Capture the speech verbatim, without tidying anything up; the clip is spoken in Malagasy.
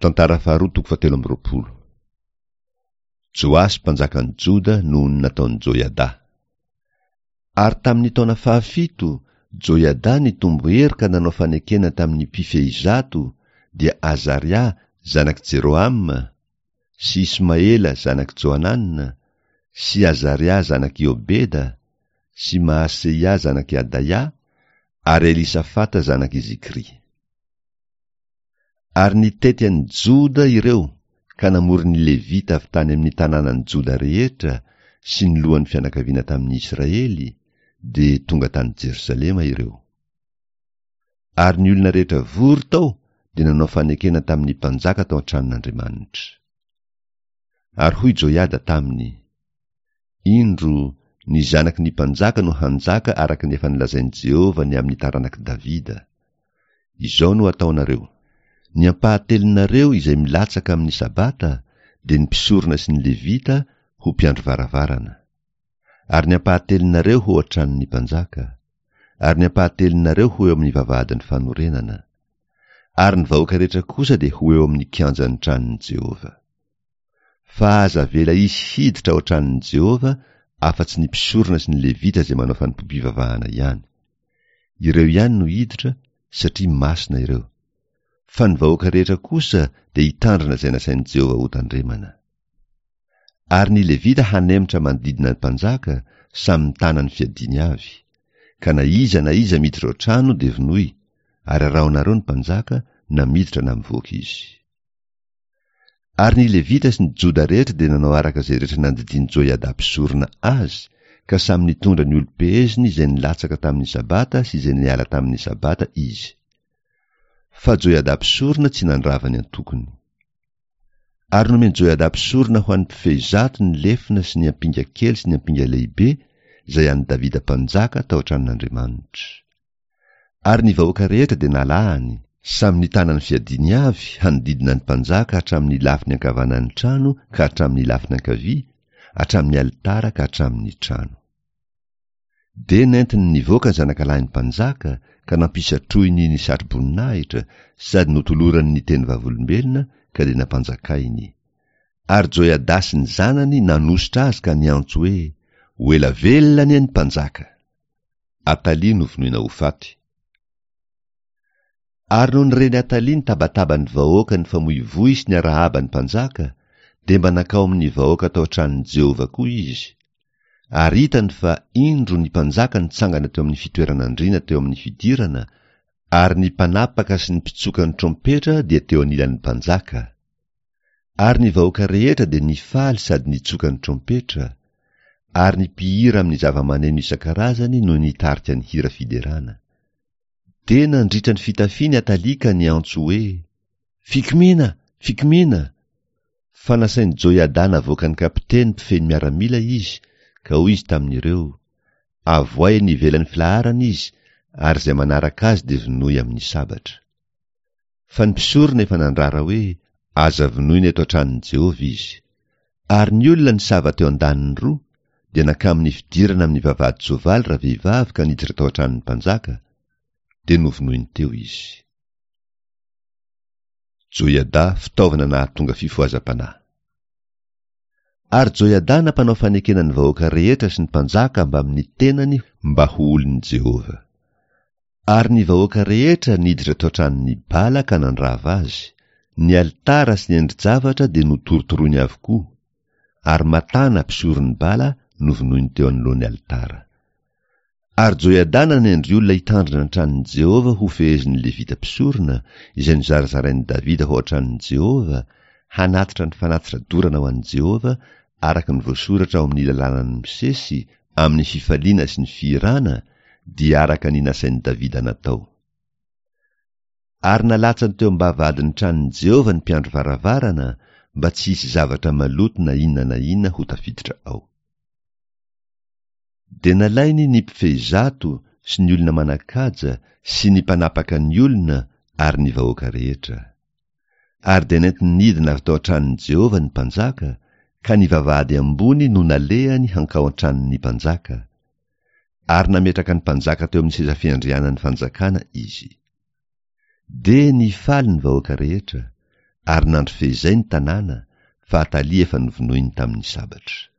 Tantara faharoa toko fahatelo amby roapolo. Joasy mpanjakan'i Joda noho ny nataon'i Joiada. Ary tamin'ny taona fahafito, Joiada nitombo hery ka nanao fanekena tamin'ny mpifehy zato, dia Azaria zanak'i Jerohama, sy Ismaela zanak'i Johanana, sy Azaria zanak'i Obeda, sy Maaseia zanak'i Adaia, ary Elisafata zanak'i Zikry. Ary nitety an'i Joda ireo ka namory ny Levita avy tany amin'ny tanànan'i Joda rehetra sy ny lohan'ny fianakaviana tamin'ny Israely, dia tonga tany Jerosalema ireo. Ary ny olona rehetra vory tao dia nanao fanekena tamin'ny mpanjaka tao an-tranon'Andriamanitra. Ary hoy Joiada taminy, Indro, ny zanaky ny mpanjaka no hanjaka araka ny efa nolazain'i Jehovah ny amin'ny taranak'i Davida. Izao no ataonareo: Ny ampahatelonareo izay milatsaka amin'ny Sabata, dia ny mpisorona sy ny Levita, ho mpiandry varavarana. Ary ny ampahatelonareo ho ao an-tranon'ny mpanjaka. Ary ny ampahatelonareo ho eo amin'ny vavahadin'ny fanorenana. Ary ny vahoaka rehetra kosa dia ho eo amin'ny kianjan'ny tranon'i Jehovah. Fa aza avela hisy hiditra ao an-tranon'i Jehovah afa-tsy ny mpisorona sy ny Levita izay manao fanompoam-pivavahana ihany. Ireo ihany no hiditra, satria masina ireo. Fa ny vahoaka rehetra kosa dia hitandrina izay nasain'i Jehovah hotandremana. Ary ny Levita hanemitra manodidina ny mpanjaka, samy mitana ny fiadiany avy. Ka na iza na iza miditra ao an-trano dia vonoy, ary arahonareo ny mpanjaka, na miditra na mivoaka izy. Ary ny Levita sy ny Joda rehetra dia nanao araka izay rehetra nandidian'i Joiada mpisorona azy, ka samy nitondra ny olom-peheziny izay nilatsaka tamin'ny Sabata sy izay niala tamin'ny Sabata izy. Fa Joiada mpisorona tsy nandrava ny antokony. Ary nomen'i Joiada mpisorona ho an'ny mpifehy zato ny lefona sy ny ampinga kely sy ny ampinga lehibe, izay an'i Davida mpanjaka tao an-tranon'Andriamanitra. Ary ny vahoaka rehetra dia nalahany, samy nitana ny fiadiany avy, hanodidina ny mpanjaka hatramin'ny lafiny ankavanan'ny trano ka hatramin'ny lafiny ankavia, hatramin'ny alitara ka hatramin'ny trano. Dia nentiny nivoaka ny zanakalahin'ny mpanjaka ka nampisatrohiny ny satroboninahitra sady notolorany ny teny vavolombelona ka dia nampanjakainy. Ary Joiada sy ny zanany nanosotra azy ka niantso hoe, Ho ela velona anie ny mpanjaka! Atalia novonoina ho faty. Ary nony ren'i Atalia ny tabataban'ny vahoaka nifamoivoy sy niarahaba ny mpanjaka, dia mba nankao amin'ny vahoaka tao an-tranon'i Jehovah koa izy. Ary hitany fa, indro, ny mpanjaka nitsangana teo amin'ny fitoeran'andriana teo amin'ny fidirana, ary ny mpanapaka sy ny mpitsoka ny trompetra dia teo anilan'ny mpanjaka. Ary ny vahoaka rehetra dia nifaly sady nitsoka ny trompetra, ary ny mpihira amin'ny zava-maneno isan-karazany no nitarika ny hira fiderana. Dia nandritra ny fitafiany Atalia ka niantso hoe, Fikomiana! Fikomiana! Fa nasain'i Joiada navoakan'ny kapiteny mpifehy ny miaramila izy, ka hoy izy tamin'ireo, Avoahy eny ivelan'ny filaharana izy, ary izay manaraka azy dia vonoy amin'ny sabatra. Fa ny mpisorona efa nandrara hoe, Aza vonoina eto an-tranon'i Jehovah izy. Ary ny olona nisava teo an-daniny roa, dia nankamin'ny fidirana amin'ny vavahadin-tsoavaly ravehivavy ka niditra tao an-tranon'ny mpanjaka, dia novonoiny teo izy. Joiada fitaovana nahatonga fifohazam-panahy. Ary Joiada nampanao fanekena ny vahoaka rehetra sy ny mpanjaka mbamin'ny tenany mba ho olon'i Jehovah. Ary ny vahoaka rehetra niditra tao an-tranon'i Bala ka nandrava azy, ny alitara sy ny endri-javatra dia notorotoroiny avokoa, ary Matana mpisoron'i Bala novonoiny teo anoloan'ny alitara. Ary Joiada nanendry olona hitandrina ny tranon'i Jehovah ho fehezin'ny Levita mpisorona, izay nozarazarain'i Davida ho ao an-tranon'i Jehovah, hanatitra ny fanatitra dorana ho an'i Jehovah, araka ny voasoratra ao amin'ny lalànan'i Mosesy, amin'ny fifaliana sy ny fihirana, dia araka ny nasain'i Davida natao. Ary nalatsany teo am-bavahadin'ny tranon'i Jehovah ny mpiandry varavarana, mba tsy hisy zavatra maloto na inona na inona ho tafiditra ao. Dia nalainy ny mpifehy zato sy ny olona manan-kaja sy ny mpanapaka ny olona ary ny vahoaka rehetra. Ary dia nentiny nidina avy tao an-tranon'i Jehovah ny mpanjaka, ka ny vavahady ambony no nalehany hankao an-tranon'ny mpanjaka. Ary nametraka ny mpanjaka teo amin'ny seza fiandrianan'ny fanjakana izy. Dia nifaly ny vahoaka rehetra, Ary nandry feizay ny tanàna, fa Atalia efa novonoiny tamin'ny sabatra.